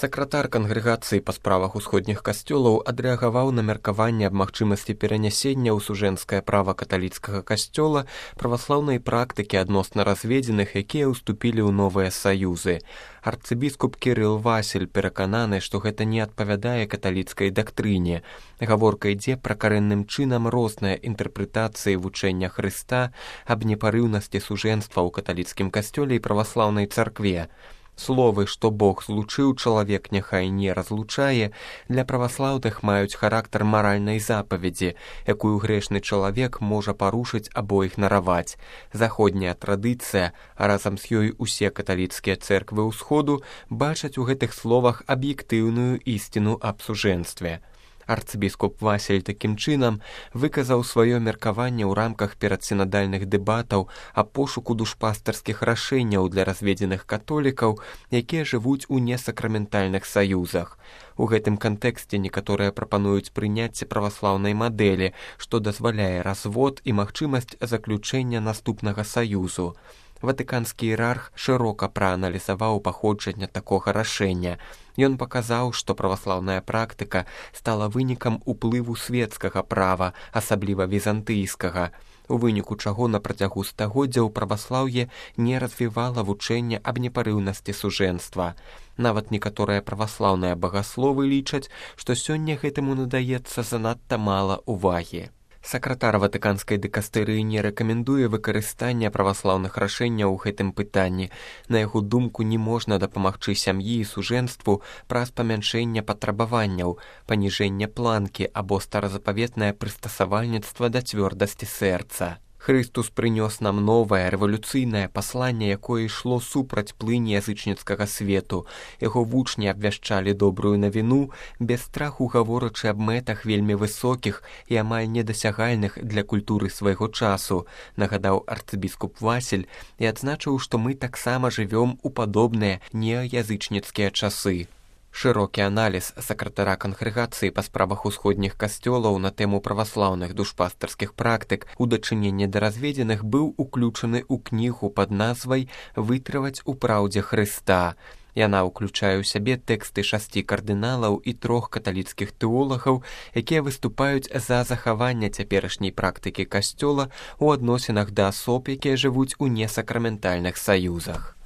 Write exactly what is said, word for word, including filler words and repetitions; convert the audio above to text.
Сакратар кангрэгацыі па справах усходніх касцёлаў адрэагаваў на меркаванне аб магчымасці перанясення ў сужэнскае права каталіцкага касцёла праваслаўнай практыкі адносна разведзеных, якія ўступілі ў новыя саюзы. Арцыбіскуп Кірыл Васіль перакананы, што гэта не адпавядае каталіцкай дактрыне. Гаворка ідзе пра карэнным чынам розныя інтэрпрэтацыі вучэння Хрыста аб непарыўнасці сужэнства ў каталіцкім касцёле і праваслаўнай царкве. Словы, што Бог злучыў, чалавек няхай не разлучае, для праваслаўных маюць характар маральнай запаведзі, якую грэшны чалавек можа парушыць або ігнараваць. Заходняя традыцыя, а разам з ёй усе каталіцкія цэрквы ўсходу, бачаць у гэтых словах аб'ектыўную ісціну аб сужэнстве. Арцыбіскуп Васіль такім чынам выказаў сваё меркаванне ў рамках перадсінадальных дэбатаў аб пошуку душпастарскіх рашэнняў для разведзеных католікаў, якія жывуць у несакраментальных саюзах. У гэтым кантэксце некаторыя прапануюць прыняцце праваслаўнай мадэлі, што дазваляе развод і магчымасць заключэння наступнага саюзу. Ватыканскі іерарх шырока прааналізаваў паходжанне такога рашэння. Ён паказаў, што праваслаўная практыка стала вынікам уплыву свецкага права, асабліва візантыйскага, у выніку чаго на працягу стагоддзяў праваслаўе не развівала вучэнне аб непарыўнасці сужэнства. Нават некаторыя праваслаўныя багасловы лічаць, што сёння гэтаму надаецца занадта мала ўвагі. Сакратар ватыканскай дыкастэрыі не рэкамендуе выкарыстання праваслаўных рашэнняў у гэтым пытанні. На яго думку, не можна дапамагчы сям'і і сужэнству праз памяншэнне патрабаванняў, паніжэнне планкі або старазапаветнае прыстасавальніцтва да цвёрдасці сэрца. Хрыстус прынёс нам новае рэвалюцыйнае пасланне, якое ішло супраць плыні язычніцкага свету. Яго вучні абвяшчалі добрую навіну, без страху гаворачы аб мэтах вельмі высокіх і амаль недасягальных для культуры свайго часу, нагадаў арцыбіскуп Васіль і адзначыў, што мы таксама жывём у падобныя неаязычніцкія часы. Шырокі аналіз сакратара кангрэгацыі па справах усходніх касцёлаў на тэму праваслаўных душпастарскіх практык у дачыненні да разведзеных быў уключаны ў кнігу пад назвай «Вытрываць у праўдзе Хрыста». Яна ўключае ў сябе тэксты шасці кардыналаў і трох каталіцкіх тэолагаў, якія выступаюць за захаванне цяперашняй практыкі касцёла ў адносінах да асоб, якія жывуць у несакраментальных саюзах.